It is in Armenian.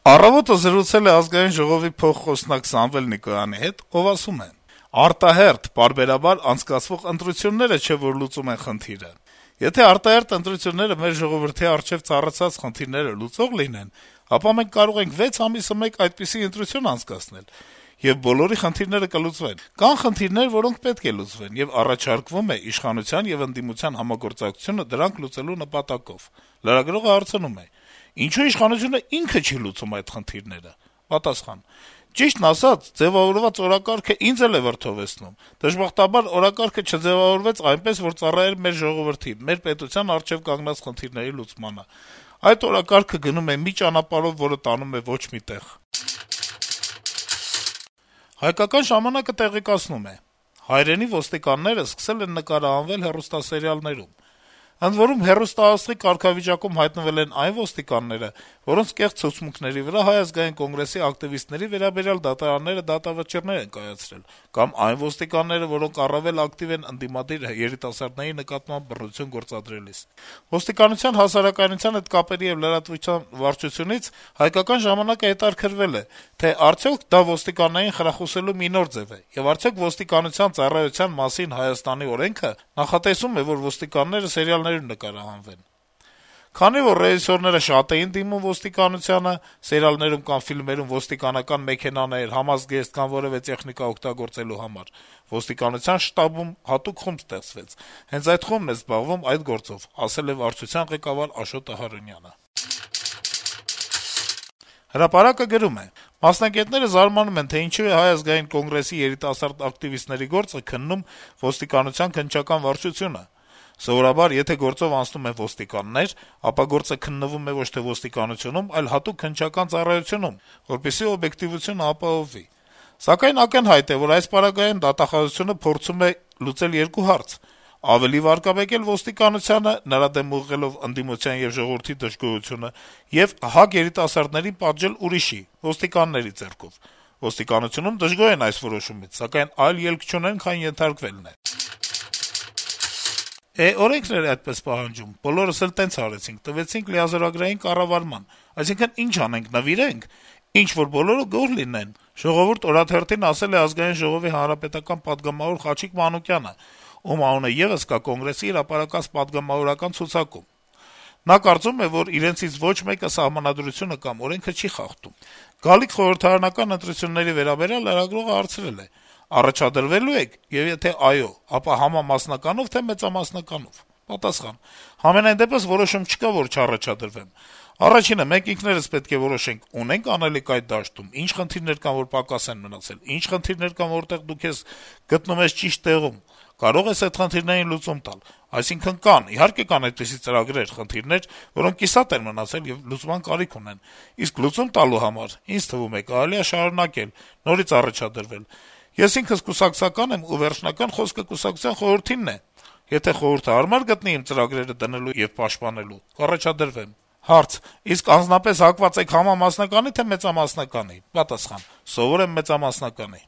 Առավոտը զրուցել է Ազգային ժողովի փոխխոսնակ Սամվել Նիկոյանի հետ, ով ասում է. - «Արտահերթ, պարբերաբար անցկացվող ընտրությունները չէ, որ լուծում են խնդիրը: Եթե արտահերթ ընտրությունները մեր ժողովրդի առջեւ ծառացած խնդիրները լուծող լինեն, ապա մենք կարող ենք 6 ամիսը մեկ այդպիսի ընտրություն անցկացնել, եւ բոլորի խնդիրները կլուծվեն: Կան խնդիրներ, որոնք պետք է լուծվեն, եւ առաջարկվում է իշխանության եւ ընդդիմության համագործակցությունը դրանք լուծելու նպատակով»: Լրագրողը հարցնում է. - «Ինչո՞ւ իշխանությունը ինքը չի լուծում այդ խնդիրները»: Պատասխան. - «Ճիշտն ասած, ձեւավորված օրակարգը ինձ էլ է վրդովեցնում: Դժբախտաբար, օրակարգը չձեւավորվեց այնպես, որ ծառայեր մեր ժողովրդին, մեր պետության առջեւ կանգնած խնդիրների լուծմանը: Այդ օրակարգը գնում է մի ճանապարհով, որը տանում է ոչ մի տեղ»: «Հայկական ժամանակ»-ը տեղեկացնում է. - «Հայրենի ոստիկանները սկսել են նկարահանվել հեռուստասերիալներում: Ընդ որում, հեռուստաաղցնի կարգավիճակում հայտնվել են այն ոստիկանները, որոնց կեղծ ցուցմունքների վրա Հայ ազգային կոնգրեսի ակտիվիստների վերաբերյալ դատարանները դատավճիռներ են կայացրել, կամ այն ոստիկանները, որոնք առավել ակտիվ են ընդդիմադիր երիտասարդների նկատմամբ բռնություն գործադրելիս: Ոստիկանության հասարակայնության հետ կապերի եւ լրատվության վարչությունից «Հայկական ժամանակ»-ը հետաքրքրվել է, թե արդյոք դա ոստիկաններին խրախուսելու մի նոր ձեւ է, եւ արդյոք ոստիկանության ծառայության մասին Հայաստանի օրենքը նախատեսում է, որ ոստիկանները սերիալներում նկարահանվեն: Քանի որ ռեժիսորները շատ էին դիմում ոստիկանությանը սերիալներում կամ ֆիլմերում ոստիկանական մեքենաներ, համազգեստ կամ որեւէ տեխնիկա օգտագործելու համար, ոստիկանության շտաբում հատուկ խումբ ստեղծվեց: Հենց այդ խումբն է զբաղվում այդ գործով», - ասել է վարչության ղեկավար Աշոտ Ահարոնյանը: «Հրապարակ»-ը գրում է. - «Մասնագետները զարմանում են, թե ինչու է Հայ ազգային կոնգրեսի երիտասարդ ակտիվիստների գործը քննում ոստիկանության քննչական վարչությունը: Սովորաբար, եթե գործով անցնում են ոստիկաններ, ապա գործը քննվում է ոչ թե ոստիկանությունում, այլ հատուկ քննչական ծառայությունում, որպեսզի օբյեկտիվությունը ապահովվի: Սակայն ակնհայտ է, որ այս պարագայում դատախազությունը փորձում է լուծել երկու հարց. ավելի վարկաբեկել ոստիկանությանը, նրա դեմ ուղղելով ընդդիմության եւ ժողովրդի դժգոհությունը, եւ ՀԱԿ երիտասարդներին պատժել ուրիշի` ոստիկանների ձեռքով: Ոստիկանությունում դժգոհ են այս որոշումից, սակայն այլ ելք չունեն, քան ենթարկվելն է»: Օրենքն էր այդպես պահանջում, բոլորս էլ տենց արեցինք, տվեցինք լիազորագրային կառավարման: Այսինքն` ինչ անենք, նվիրե՞նք: Ինչ-որ բոլորը գոհ լինեն»: «Ժողովուրդ» օրաթերթին ասել է Ազգային ժողովի հանրապետական պատգամավոր Խաչիկ Մանուկյանը, ում անունը եւս կա Կոնգրեսի հրապարակած պատգամավորական ցուցակում: Նա կարծում է, որ իրենցից ոչ մեկը Սահմանադրությունը կամ օրենքը չի խախտում: Գալիք խորհրդարանական ընտրությունների վերաբերյալ լրագրողը հարցրել է. - «Առաջադրվելու եք, եւ եթե այո, ապա համամասնականո՞վ, թե մեծամասնականով»: Պատասխան. - «Համենայն դեպս որոշում չկա, որ չառաջադրվեմ: Առաջինը, մենք ինքներս պետք է որոշենք` ունե՞նք անելիք այդ դաշտում, ինչ խնդիրներ կան, որ պակաս են մնացել, ինչ խնդիրներ կան, որտեղ դու քեզ գտնում ես ճիշտ տեղում, կարո՞ղ ես այդ խնդիրներին լուծում տալ: Այսինքն` կան, իհարկե կան այդպիսի ծրագրեր, խնդիրներ, որոնք կիսատ են մնացել եւ լուծման կարիք ունեն: Իսկ լուծում տալու համար, ինձ թվում է, կարելի է շարունակել, նորից առաջադրվել: Ես ինքս կուսակցական եմ, ու վերջնական խոսքը կուսակցության խորհրդինն է: Եթե խորհուրդը հարմար գտնի իմ ծրագրերը դնելու եւ պաշտպանելու, կառաջադրվեմ»: Հարց. - «Իսկ անձնապես հակված եք համամասնականի՞, թե մեծամասնականի»: Պատասխան. - «Սովոր եմ մեծամասնականի»: